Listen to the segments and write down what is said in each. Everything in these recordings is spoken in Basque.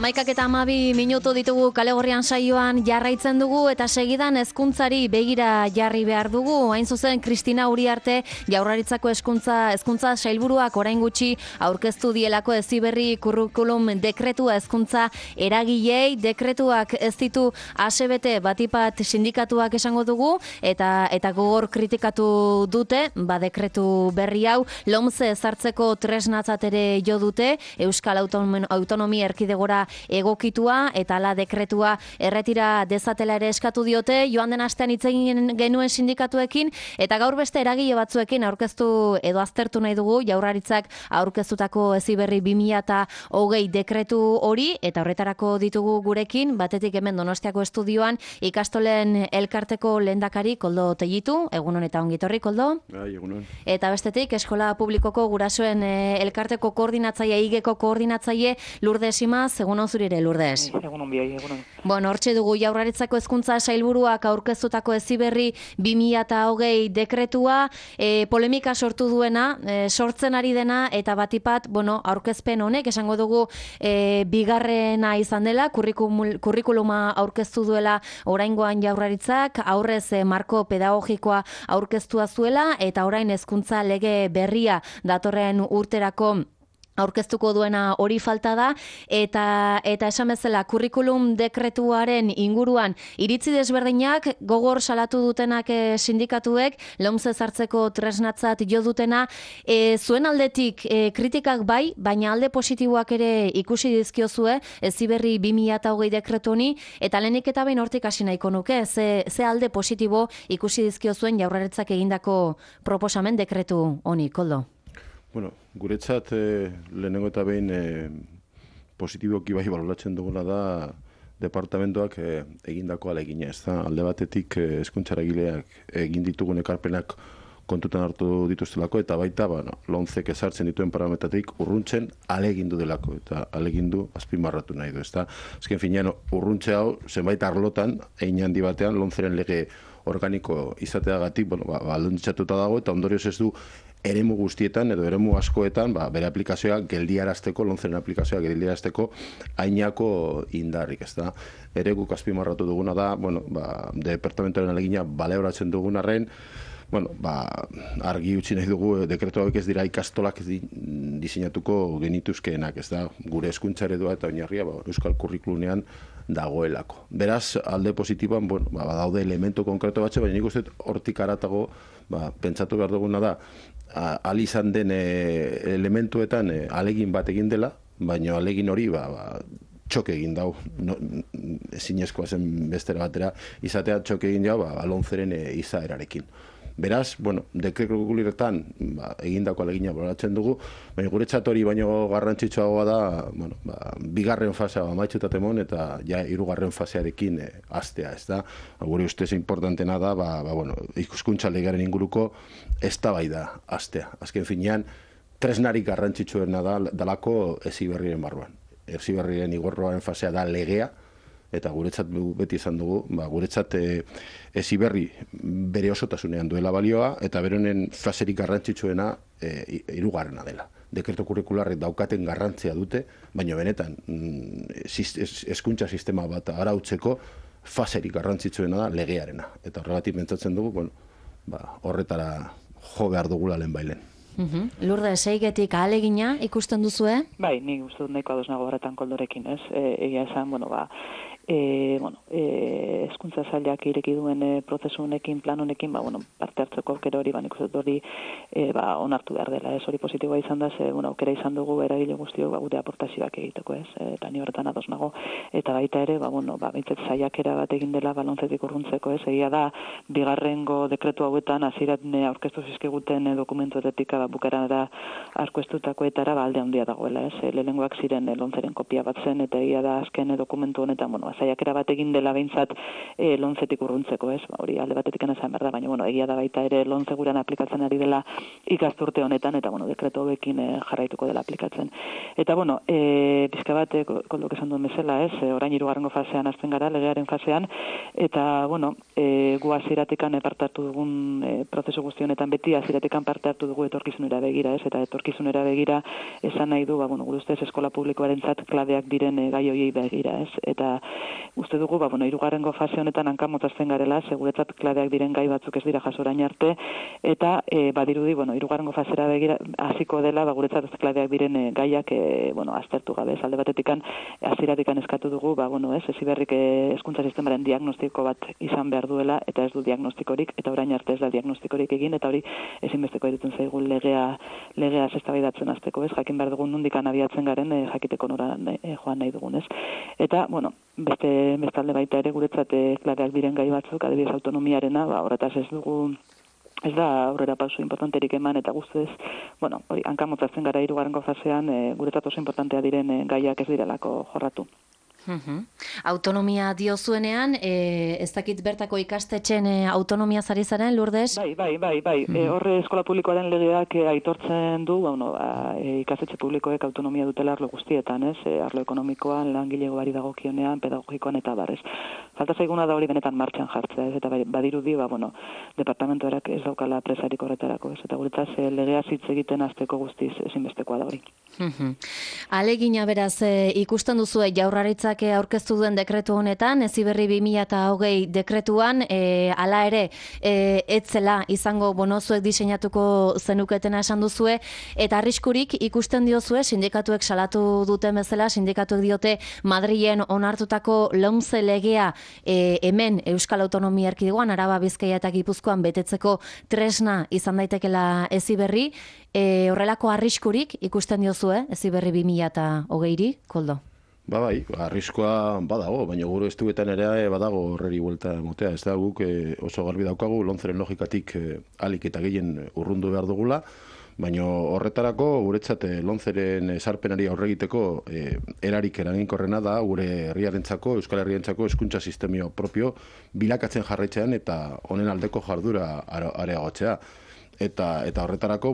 Maikak eta 12 minutu ditugu Kale Gorrian saioan jarraitzen dugu eta segidan hezkuntzari begira jarri behar dugu. Hain zuzen Kristina Uriarte Jaurlaritzako hezkuntza sailburuak orain gutxi aurkeztu dielako Heziberri curriculum dekretua hezkuntza eragilei. Dekretuak ez ditu asebete batipat sindikatuak esango dugu eta gogor kritikatu dute, dekretu berri hau LOMCE ezartzeko tresnatzat ere jo dute, Euskal Autonomia Erkidegora egokitua eta ala dekretua erretira dezatela ere eskatu diote. Joan den astean hitz egin genuen sindikatuekin eta gaur beste eragile batzuekin aurkeztu edo aztertu nahi dugu Jaurlaritzak aurkeztutako Heziberri 2020 dekretu hori, eta horretarako ditugu gurekin batetik hemen Donostiako estudioan ikastolen elkarteko lehendakari Koldo Tellitu. Egunon eta ongitorri, Koldo. Bai, egunon. Eta bestetik Eskola Publikoko gurasoen elkarteko koordinatzaile, igeko koordinatzaile Lourdes Imaz. Egunon zuri ere, Lourdes. Egunon biai, egunon. Hortxe dugu Jaurlaritzako hezkuntza sailburuak aurkeztutako Heziberri 2020 dekretua, polemika sortu duena, sortzen ari dena, eta batipat, aurkezpen honek, esango dugu, bigarrena izan dela, kurrikuluma aurkeztu duela oraingoan Jaurlaritzak, aurrez marko pedagogikoa aurkeztua zuela, eta orain hezkuntza lege berria datorren urterako aurkeztuko duena hori falta da, eta esan bezala kurrikulum dekretuaren inguruan iritzi desberdinak gogor salatu dutenak sindikatuek, LOMCE ezartzeko tresnatzat jo dutena, zuen aldetik kritikak bai, baina alde positiboak ere ikusi dizkiozue Heziberri 2020 dekretu honi, eta lehenik eta behin hortik hasi nahiko nuke, ze alde positibo ikusi dizkiozuen Jaurlaritzak egindako proposamen dekretu honi, Koldo? Guretzat lehenengo eta behin positiboki bai baloratzen dugula da departamentoak egindako ahalegina. Ez da, alde batetik hezkuntzaragileak egin ditugun ekarpenak kontutan hartu dituztelako, eta baita LOMCEk ezartzen dituen parametratik urruntzen ahalegindu delako, eta ahalegindu azpimarratu nahi du. Azken finean urruntze hau zenbait arlotan, hein handi batean LOMCEren lege organiko izateagatik aldontzatuta dago, eta ondorioz ez du eremu guztietan edo eremu askoetan bere aplikazioa geldiarazteko, LOMCEren aplikazioa geldiarazteko hainako indarrik, ez da. Ere guk azpimarratu duguna da, departamentoaren ahalegina baloratzen dugun arren, argi utzi nahi dugu dekretu hauek ez dira ikastolak diseinatuko genituzkeenak, ez da, gure hezkuntza eredua eta oinarria Euskal Curriculumean dagoelako. Beraz, alde positiboan, daude elementu konkretu batxe, baina nik uste hortik haratago, pentsatu behar duguna da, ahal izan den elementuetan ahalegin bat egin dela, baina ahalegin hori txoke egin dau, ezinezkoa zen bestera batera, izatea txoke egin dau LOMCEren izaerarekin. Beraz, dekretuetan egindako ahalegina baloratzen dugu, baina guretzat hori baino garrantzitsuagoa da, bigarren fasea amaitzutat emon eta ja hirugarren fasearekin hastea, ez da. Gure ustez importantena da, hizkuntza legearen inguruko eztabaida hastea. Azken finean, tresnarik garrantzitsuena dalako Heziberriren barruan. Heziberriren igorroaren fasea da legea, eta guretzat beti izan dugu, guretzat Heziberri bere osotasunean duela balioa, eta beronen faserik garrantzitsuena hirugarrena dela. Dekretu kurrikularrek daukaten garrantzia dute, baina benetan hezkuntza sistema bat arautzeko faserik garrantzitsuena da legearena. Eta horregatik pentsatzen dugu, horretara jo behar dugula lehen bailen. Lourdes, eigetik ahalegina ikusten duzue? Bai, nik uste dut nahiko ados nago horretan Koldorekin, ez? Egia esan, hezkuntza sailak ireki duen prozesu honekin, plan honekin, parte hartzeko aukera hori, nik uste dut hori onartu behar dela, ez? Hori positiboa izan da, aukera izan dugu eragile guztiok gure aportazioak egiteko, ez? Eta ni horretan ados nago, eta baita ere, bintzat saiakera bat egin dela LOMCEtik urruntzeko, ez? Egia da, bigarrengo dekretu hauetan hasieran aurkeztu zizkiguten dokumentuetetik bukaerara aurkeztutakoetara alde handia dagoela, ez? Lehenengoak ziren LOMCEren kopia bat zen, eta egia da azken dokumentu honetan, saiakera bat egin dela behintzat lonzetik urruntzeko, ez? Hori alde batetik esan behar da, baina, egia da baita ere lonze gurean aplikatzen ari dela ikasturte honetan, eta, dekretu hauekin jarraituko dela aplikatzen. Eta, pizka bat, koldok esan duen bezala, ez? Orain 3. fasean hasten gara, legearen fasean, eta, gu hasieratik parte hartu dugun prozesu guzti honetan beti hasieratik parte hartu dugu etorkizunera begira, ez? Eta etorkizunera begira esan nahi du, gure ustez eskola publikoarentzat klabeak diren gai horiei begira, ez? Eta uste dugu, 3. fase honetan hankamotazten garela, seguretzat klabeak diren gai batzuk ez dira jaso orain arte, eta badirudi, 3. fasera begira hasiko dela, guretzat ez klabeak diren gaiak, aztertu gabe, alde batetikan hasieratik eskatu dugu, ez? Heziberrik hezkuntza sistemaren diagnostiko bat izan behar duela, eta ez du diagnostikorik, eta orain arte ez da diagnostikorik egin, eta hori ezinbesteko iruditzen zaigu legea eztabaidatzen hasteko, ez? Jakin behar dugun nondik abiatzen garen, jakiteko nora joan nahi dugun, ez? Eta, beste alde baita ere guretzat klabeak diren gai batzuk, adibidez autonomiarena, horretaz ez da aurrera pauso importanterik eman, eta guztez, hori, hankamotzatzen gara 3. fasean, guretzat oso importantea diren gaiak ez direlako jorratu. Autonomia diozuenean, ez dakit bertako ikastetxen autonomia zari zaren, Lourdes? Bai. Horre eskola publikoaren legeak aitortzen du, ikastetxe publikoek autonomia dutela arlo guztietan, ez? Arlo ekonomikoan, langilegoari dagokionean, pedagogikoan eta barrez. Falta zaiguna da hori benetan martxan jartzea, ez? Eta badirudi, departamentoak ez daukala presarik horretarako, ez? Eta guretzaz legea hitz egiten hasteko guztiz ezinbestekoa da hori. Alegina beraz, ikusten duzu Jaurlaritzak aurkeztu duen dekretu honetan, Heziberri 2020 dekretuan, hala ere, etzela izango zuek diseinatuko zenuketena esan duzue, eta arriskurik ikusten diozue, sindikatuek salatu duten bezala, sindikatuek diote Madrilen onartutako LOMCE legea hemen Euskal Autonomia Erkidegoan, Araba, Bizkaia eta Gipuzkoan betetzeko tresna izan daitekela Heziberri, horrelako arriskurik ikusten diozue Heziberri 2020ri, Koldo? Bai, arriskoa badago, baina gure estuetan ere badago horreri buelta motea. Ez da guk oso garbi daukagu, lontzeren logikatik alik eta gehien urrundu behar dugula, baina horretarako guretzat lontzeren sarpenari aurregiteko erarik eraginkorrena da gure herriarentzako, Euskal Herriarentzako hezkuntza sistema propio bilakatzen jarraitzean eta honen aldeko jardura areagotzea. Eta horretarako,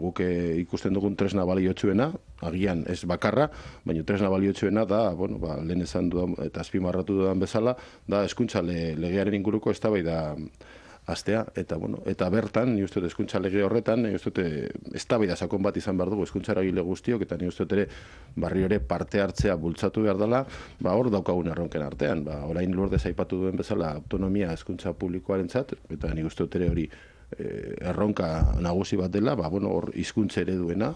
guk ikusten dugun tresna baliotsuena, agian ez bakarra, baina tresna baliotsuena da, lehen esan dudan eta azpimarratu dudan bezala, da hezkuntza legearen inguruko eztabaida astea, eta bertan, ni uste dut hezkuntza lege horretan, ni uste dut eztabaida sakon bat izan behar dugu hezkuntza eragile guztiok, eta ni uste dut ere barri ere parte hartzea bultzatu behar dela, hor daukagun erronken artean. Orain Lourdes aipatu duen bezala autonomia hezkuntza publikoarentzat, eta ni uste dut ere hori erronka nagusi bat dela, hor hizkuntza ereduena,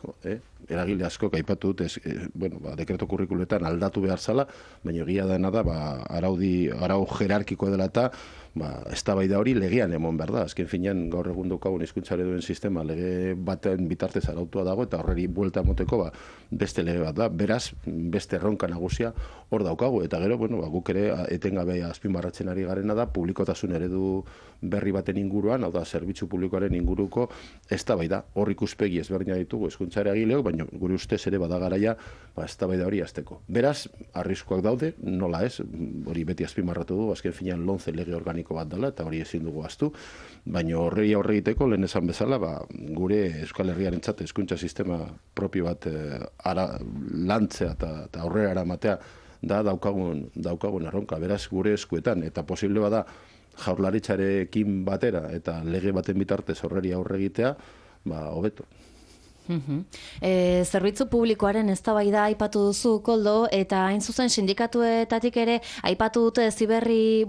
eragile asko aipatu dut, dekreto kurrikuletan aldatu behar zala, baina egia dena da, arau jerarkiko dela eta eztabaida hori legean emon behar da. Azken finean gaur egun daukagun hizkuntza ereduen sistema lege baten bitartez arautua dago, eta horreri buelta moteko beste lege bat da. Beraz, beste erronka nagusia hor daukagu, eta gero, guk ere etengabe azpimarratzen ari garena da, publikotasun eredu berri baten inguruan, hau da, zerbitzu publikoaren inguruko eztabaida. Hor ikuspegi ezberdina ditugu hezkuntza eragileok, baina gure ustez ere bada garaia eztabaida hori hasteko. Beraz, arriskuak daude, nola ez, hori beti azpimarratu du, azken finean LOMCE lege organiko bat dela, eta hori ezin dugu ahaztu, baina horri aurre egiteko lehen esan bezala, gure Euskal Herriarentzat hezkuntza sistema propio bat lantzea eta aurrera eramatea da daukagun erronka. Beraz, gure eskuetan, eta posible bada Jaurlaritzarekin batera eta lege baten bitartez horreri aurre egitea, hobeto. Zerbitzu publikoaren eztabaida aipatu duzu, Koldo, eta hain zuzen sindikatuetatik ere aipatu dute Heziberri,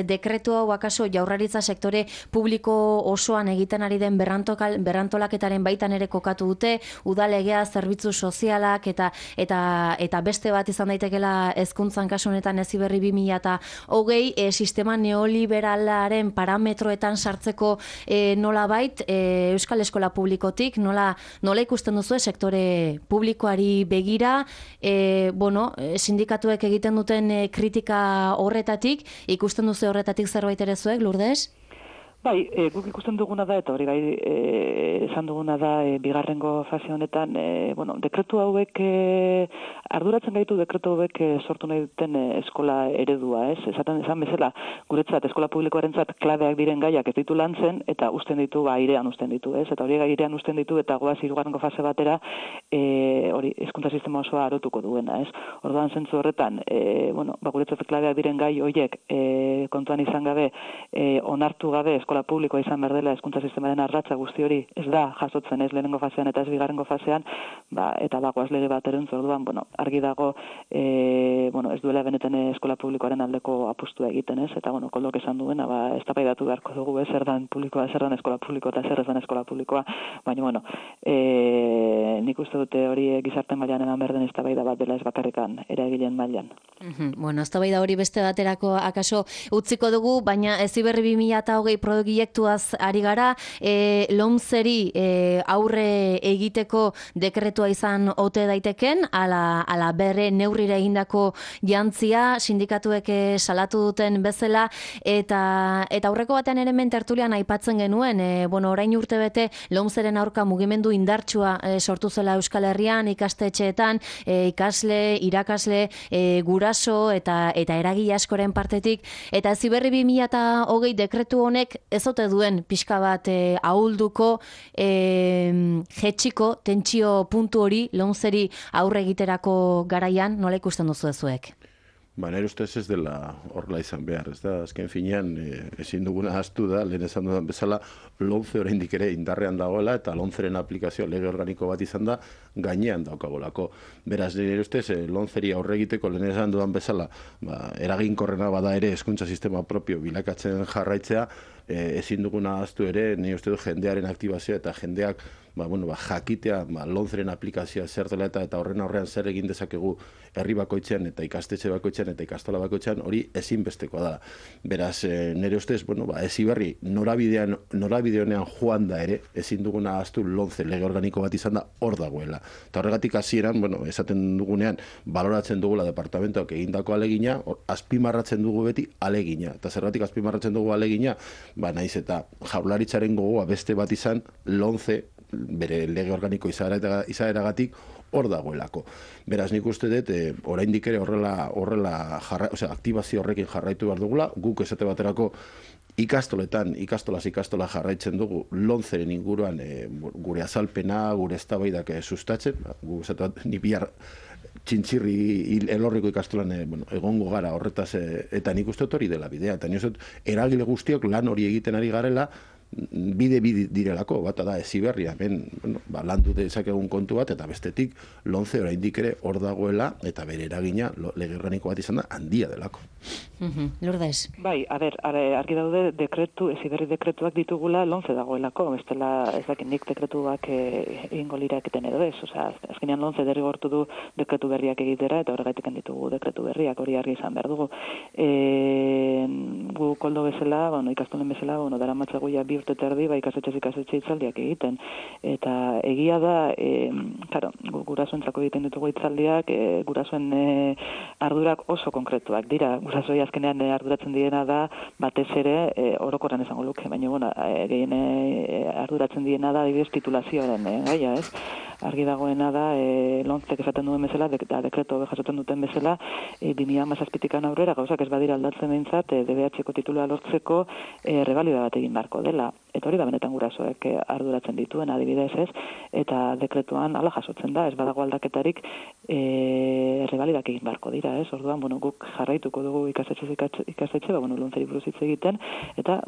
dekretu hau akaso Jaurlaritza sektore publiko osoan egiten ari den berrantolaketaren baitan ere kokatu dute, udalegea, zerbitzu sozialak eta beste bat izan daitekela hezkuntzan kasu honetan Heziberri 2020 sistema neoliberalaren parametroetan sartzeko nolabait Euskal Eskola Publikotik nola ikusten duzu sektore publikoari begira, sindikatuek egiten duten kritika horretatik, ikusten duzu horretatik zerbait ere zuek, Lourdes? Bai, guk ikusten duguna da, eta hori esan duguna da, bigarrengo fase honetan, dekretu hauek arduratzen gaitu dekretu hauek sortu nahi duten eskola eredua, ez? Esan bezala, guretzat eskola publikoarentzat klabeak diren gaiak ez ditu lantzen eta usten ditu airean usten ditu, ez? Eta hori airean usten ditu eta goaz hirugarrengo fase batera hori hezkuntza sistema osoa arotuko duena, ez? Orduan zentzu horretan, guretzat klabeak diren gai horiek kontuan izan gabe, onartu gabe eskola publikoa izan behar dela hezkuntza sistemaren ardatza guzti hori ez da jasotzen ez lehenengo fasean eta ez bigarrengo fasean, eta bagoaz lege bateren orduan, argi dago ez duela benetan eskola publikoaren aldeko apustua egiten, ez? Eta Koldok esan duena, eztabaidatu beharko dugu zer dan publikoa, zer dan eskola publikoa eta zer ez dan eskola publikoa, baina nik uste dute hori gizarte mailan eman behar den eztabaida bat dela ez bakarrikan eragileen mailan. Eztabaida hori beste baterako akaso utziko dugu, baina Heziberri 2020 proiektuaz ari gara, LOMCeri aurre egiteko dekretua izan ote daiteken, ala berre neurrira egindako jantzia, sindikatuek salatu duten bezala, eta aurreko batean ere tertulian aipatzen genuen, orain urtebete LOMCeren aurka mugimendu indartsua sortu zela Euskal Herrian, ikastetxeetan, ikasle, irakasle, guraso eta eragile askoren partetik, eta Heziberri 2020 dekretu honek ez ote duen pixka bat ahulduko, jetxiko, tentsio puntu hori LOMCeri aurre egiterako garaian, nola ikusten duzu ezuek? Nire ustez ez dela horrela izan behar, ez da, azken finean ezin duguna ahaztu da, lehen esan dudan bezala, LOMCE oraindik ere indarrean dagoela, eta LOMCEren aplikazioa lege organiko bat izan da, gainean daukagolako. Beraz, nire ustez, LOMCeri aurre egiteko lehen esan dudan bezala, eraginkorrena bada ere hezkuntza sistema propio bilakatzen jarraitzea, ezin duguna ahaztu ere, nire uste du jendearen aktibazioa eta jendeak jakitea LOMCEren aplikazioa zer dela eta horren aurrean zer egin dezakegu herri bakoitzean eta ikastetxe bakoitzean eta ikastola bakoitzean hori ezinbestekoa da. Beraz, nire ustez, Heziberri norabide honean joan da ere, ezin duguna ahaztu LOMCE lege organiko bat izan da hor dagoela. Eta horregatik hasieran, esaten dugunean, baloratzen dugula departamentoak egindako alegina, azpimarratzen dugu beti alegina. Eta zergatik azpimarratzen dugu alegina, naiz eta Jaurlaritzaren gogoa beste bat izan LOMCE bere lege organiko izaeragatik hor dagoelako. Beraz, nik uste dut, oraindik ere horrela aktibazio horrekin jarraitu behar dugula, guk esate baterako ikastola jarraitzen dugu LOMCEren inguruan gure azalpena, gure eztabaidak sustatzen, gu esate bat, ni bihar txintxirri elorriko ikastolan egongo gara horretaz, eta nik uste dut hori dela bidea, eta nik uste dut eragile guztiok lan hori egiten ari garela, bide direlako, bata da Heziberri, landu dezakegun kontu bat, eta bestetik LOMCE oraindik ere hor dagoela, eta bere eragina lege organiko bat izan da handia delako. Lourdes. Bai, argi daude Heziberri dekretuak ditugula LOMCE dagoelako, bestela ez dakit nik dekretuak egingo liraketen edo ez, azkenean LOMCE derrigortu du dekretu berriak egitera, eta horregatik ditugu dekretu berriak, hori argi izan behar dugu. Gu Koldo bezala, ikastolen bezala, daramatzagu ja 2 urte terdi, ikastetxe hitzaldiak egiten. Eta egia da, gurasoentzako egiten ditugu hitzaldiak, gurasoen ardurak oso konkretuak dira. Gurasoi azkenean arduratzen direna da, batez ere, orokorran esango luke, baina gehien arduratzen direna da, adibidez titulazioaren gaia, ez? Argi dagoena da, LOMCek esaten duen bezala, dekretu jasotzen duten bezala, 2017 aurrera, gauzak ez badira aldatzen behintzat, DBH-ko titulua lortzeko rebalida bat egin beharko dela. Eta hori da benetan gurasoek arduratzen dituen adibidez ez, eta dekretuan hala jasotzen da, ez badago aldaketarik rebalidak egin beharko dira, ez? Orduan, guk jarraituko dugu ikastetxe, LOMCeri buruz hitz egiten, eta,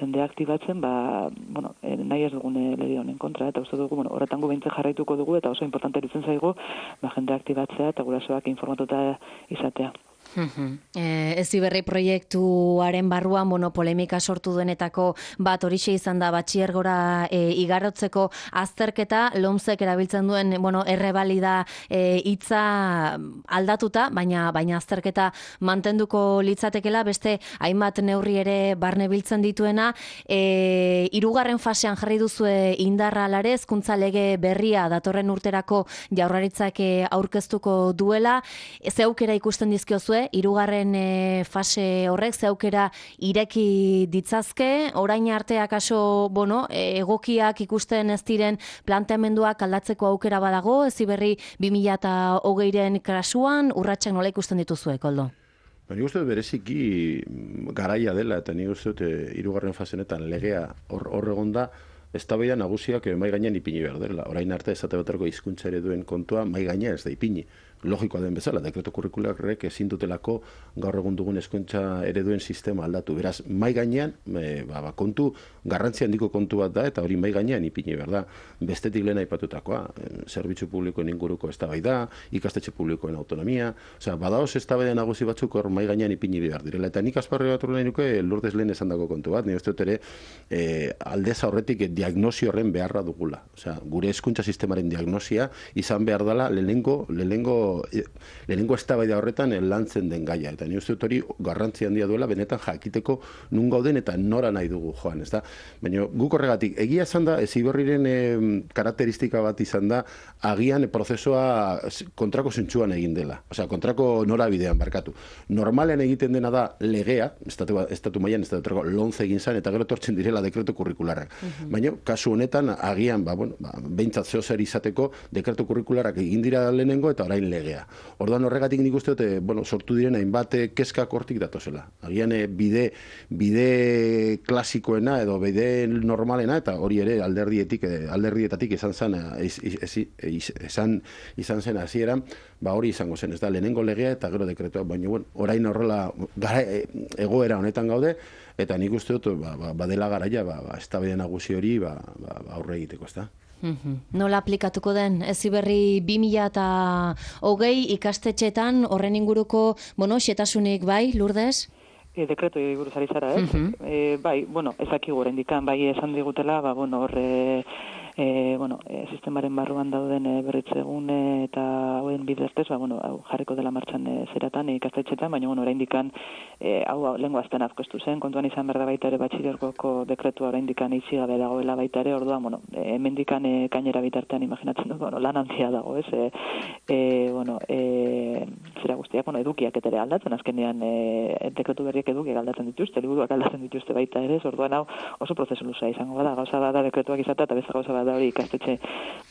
jendea aktibatzen, nahi ez dugun lege honen kontra, eta uste dugu, horretan gu behintzen jarraituko dugu, eta oso importante eritzen zaigu, jendea aktibatzea eta gurasoak informatuta izatea. Heziberri proiektuaren barruan polemika sortu duenetako bat horixe izan da batxilergora igarotzeko azterketa, LOMCek erabiltzen duen errebalida hitza aldatuta, baina azterketa mantenduko litzatekela, beste hainbat neurri ere barne biltzen dituena, 3. fasean jarri duzue indarra alare, hezkuntza lege berria datorren urterako Jaurlaritzak aurkeztuko duela, ze aukera ikusten dizkiozue dituzue, hirugarren fase horrek ze aukera ireki ditzazke, orain arte akaso, egokiak ikusten ez diren planteamenduak aldatzeko aukera badago, Heziberri 2020ren kasuan, urratsak nola ikusten dituzue, Koldo? Nik uste dut bereziki garaia dela, eta nik uste dut hirugarren fasenetan legea hor egonda, eztabaida nagusiak mahai gainean ipini behar dela. Orain arte esate baterako hizkuntza ereduen kontua mahai gainean ez da ipini. Logikoa den bezala, dekreto kurrikularrek ezin dutelako gaur egun dugun hezkuntza ereduen sistema aldatu. Beraz, mahai gainean, kontu, garrantzi handiko kontu bat da, eta hori mahai gainean ipini behar da. Bestetik lehen aipatutakoa, zerbitzu publikoen inguruko eztabaida, ikastetxe publikoen autonomia, badaoz eztabaida nagusi batzuk hor mahai gainean ipini behar direla. Eta nik azparri bat nahi nuke Lourdes lehen esandako kontu bat, nire uste dut ere aldez aurretik diagnosi horren beharra dugula. Gure hezkuntza sistemaren diagnosia izan behar dela lehenengo eztabaida horretan lantzen den gaia. Eta ni uste dut hori garrantzi handia duela benetan jakiteko nun gauden eta nora nahi dugu joan, ezta? Baina guk horregatik, egia esan da, Heziberriren karakteristika bat izan da, agian prozesua kontrako zentsuan egin dela. Kontrako norabidean barkatu. Normalean egiten dena da legea, estatu mailan estatuko lonze egin zan, eta gero tortzen direla dekreto kurrikularrak. Baina, kasu honetan, agian, behintzat zehozer izateko, dekreto kurrikularrak egin dira lehenengo eta orain legea. Orduan horregatik nik uste dut, sortu diren hainbat kezkak hortik datozela. Agian bide klasikoena edo bide normalena, eta hori ere alderdietatik izan zen hasieran, hori izango zen, ez da, lehenengo legea eta gero dekretua, baina orain horrela egoera honetan gaude, eta nik uste dut, badela garaia, eztabaida nagusi hori aurre egiteko, ez da. Nola aplikatuko den Heziberri 2020 ikastetxeetan horren inguruko, xetasunik bai, Lourdes? Dekretu buruz ari zara, ez? Bai, ezakigu oraindikan, bai esan digutela, horre sistemaren barruan dauden berritzegun eta hauen bidertez, jarriko dela martxan zeratan ikastetxetan, baina oraindikan hau lengua azten azkoestu zen, kontuan izan berda baita ere batxilergoko dekretua oraindikan itxi gabe dagoela baita ere, orduan, hemendikan kainera bitartean imaginatzen dut, lan handia dago, ez? Zera guztiak, edukiak ere aldatzen, azkenean dekretu berriak edukiak aldatzen dituzte, liburuak aldatzen dituzte baita ere, orduan hau oso prozesu luzea izango bada, gauza bada dekretuak izatea eta beste gauza bada hori ikastetxe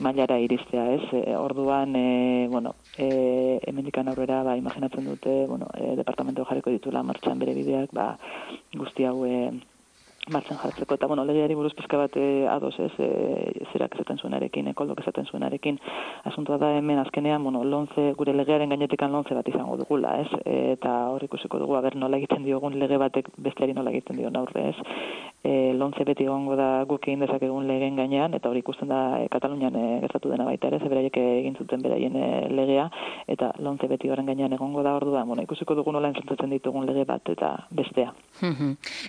mailara iristea, ez? Orduan, hemendikan aurrera, imaginatzen dute, departamento jarriko ditula martxan bere bideak, guzti hau martxan jartzeko, eta legeari buruz pizka bat ados, ez, zerak esaten zuenarekin, Koldok esaten zuenarekin, asuntua da hemen azkenean, lonze, gure legearen gainetikan lonze bat izango dugula, ez, eta hor ikusiko dugu, nola egiten diogun lege batek besteari nola egiten dion aurre, ez, lonze beti egongo da guk egin dezakegun legeen gainean, eta hori ikusten da Katalunian gertatu dena baita ere, beraiek egin zuten beraien legea, eta lonze beti horren gainean egongo da orduan, ikusiko dugu nola entzuntzen ditugun lege bat eta bestea.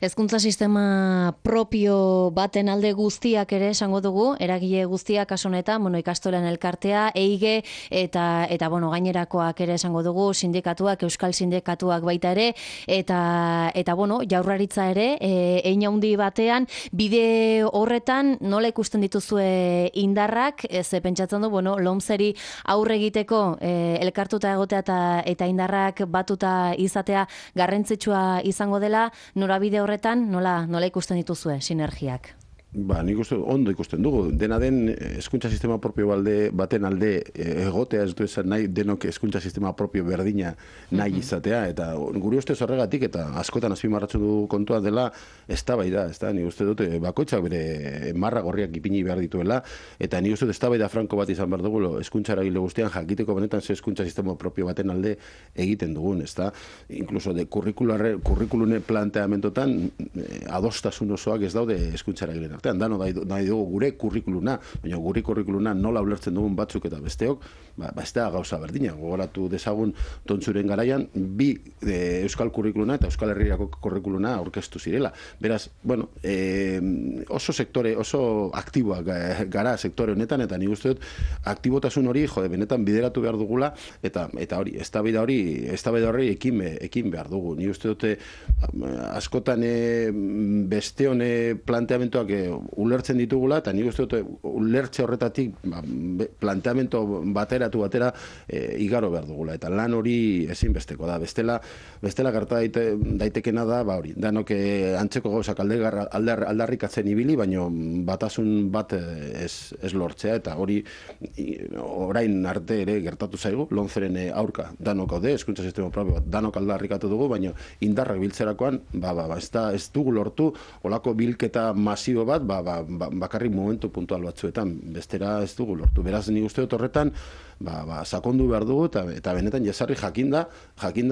Hezkuntza sistema propio baten alde guztiak ere esango dugu, eragile guztiak kasu honetan, ikastolen elkartea, EIGE eta gainerakoak ere esango dugu, sindikatuak, euskal sindikatuak baita ere, eta Jaurlaritza ere, hein handi batean, bide horretan nola ikusten dituzue indarrak, ez pentsatzen du, lomzeri aurre egiteko elkartuta egotea eta indarrak batuta izatea garrantzitsua izango dela, norabide horretan nola ikusten dituzue sinergiak? Nik uste ondo ikusten dugu. Dena den hezkuntza sistema propio baten alde egotea ez du esan nahi denok hezkuntza sistema propio berdina nahi izatea, eta gure ustez horregatik eta askotan azpimarratzen dugu kontua dela eztabaida, ezta? Nik uste dut bakoitzak bere marra gorriak ipini behar dituela, eta nik uste dut eztabaida franko bat izan behar dugu hezkuntza eragile guztian jakiteko benetan ze hezkuntza sistema propio baten alde egiten dugun, ezta? Inkluso de kurrikulune planteamentotan adostasun osoak ez daude hezkuntza eragileen artean, nahi dugu gure kurrikuluna, baina gure kurrikuluna nola ulertzen dugun batzuk eta besteok, ez da gauza berdina. Gogoratu dezagun Tontzuren garaian, bi euskal kurrikuluna eta euskal herriako kurrikuluna aurkeztu zirela. Beraz, oso aktiboak gara sektore honetan, eta nik uste dut aktibotasun hori, benetan bideratu behar dugula, eta hori, eztabaida hori ekin behar dugu. Nik uste dut askotan beste hone planteamentuak ulertzen ditugula, eta nik uste dut ulertze horretatik planteamento batera igaro behar dugula, eta lan hori ezinbesteko da. Bestela gerta daitekena da, hori, danok antzeko gauzak aldarrikatzen ibili, baino batasun bat ez lortzea, eta hori orain arte ere gertatu zaigu, lomceren aurka danok haude, hezkuntza sistema propio bat danok aldarrikatu dugu, baino indarrak biltzerakoan, ez dugu lortu, olako bilketa masibo bat, bakarrik momentu puntual batzuetan, bestera ez dugu lortu. Beraz, nik uste dut horretan, sakondu behar dugu, eta benetan jesarri jakinda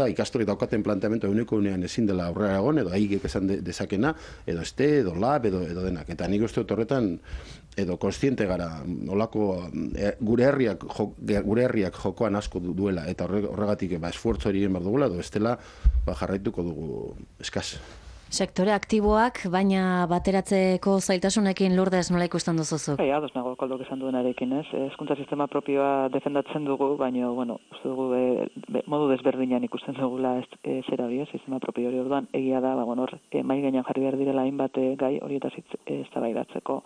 ikastorik daukaten planteamentu eguneko unean ezin dela aurrera egon, edo haigek esan dezakena, edo edo lab, edo denak. Eta nik uste dut horretan, edo konstiente gara, olako gure herriak jokoan asko duela, eta horregatik esfuerzo hori egin behar dugula, edo bestela jarraituko dugu eskaz. Sektore aktiboak, baina bateratzeko zailtasunekin Lourdes nola ikusten duzuzuk? Ados nago Koldok esan duenarekin, ez? Hezkuntza sistema propioa defendatzen dugu, baina, uste dugu modu desberdinan ikusten dugula zera hori, sistema propio hori orduan, egia da, mai gainean jarri behar direla hainbat gai horietaz eztabaidatzeko.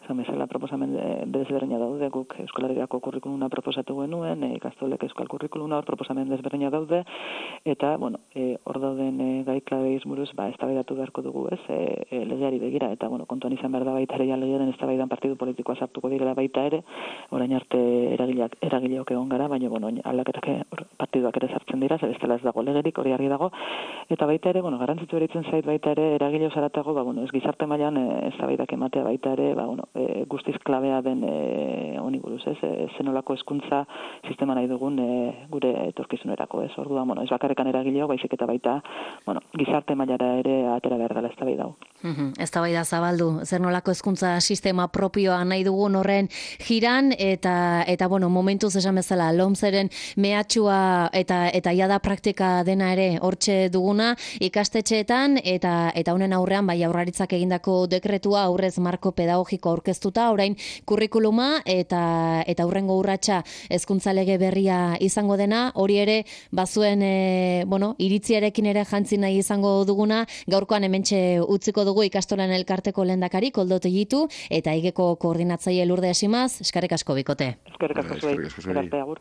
Esan bezala proposamen desberdina daude, guk Euskal Herriako kurrikuluna proposatu genuen, ikastolek euskal kurrikuluna hor proposamen desberdina daude, eta, hor dauden gai klabeiz buruz, eztabaidatu beharko dugu, ez, legeari begira, eta, kontuan izan behar da baita ere, legearen eztabaidan partidu politikoa sartuko direla baita ere, orain arte eragileok egon gara, baina, aldaketak partiduak ere sartzen dira, ze bestela ez dago legerik, hori argi dago, eta baita ere, garrantzitsu eritzen zait baita ere, eragile osaratago, ez gizarte mailan eztabaidak ematea baita ere, guztiz klabea den honi buruz, ez, zenolako hezkuntza sistema nahi dugun gure etorkizunerako, ez, orduan, ez bakarrekan eragileo, baizik eta baita, gizarte mailara ere atera behar dela eztabaida hau. Eztabaida zabaldu, zer nolako hezkuntza sistema propioa nahi dugun horren jiran, eta momentuz esan bezala, lomceren mehatxua eta jada praktika dena ere hortxe duguna ikastetxeetan, eta honen aurrean, Jaurlaritzak egindako dekretua aurrez marko pedagogiko aurkeztuta, orain kurrikuluma eta aurrengo urratsa hezkuntza lege berria izango dena, hori ere bazuen iritziarekin ere jantzi nahi izango duguna, gaurkoan hementxe utziko dugu ikastolan elkarteko lehendakari Koldo Tellitu eta Igeko koordinatzaile Lourdes Simaz, eskerrik asko bikote. Eskerrik asko zuei.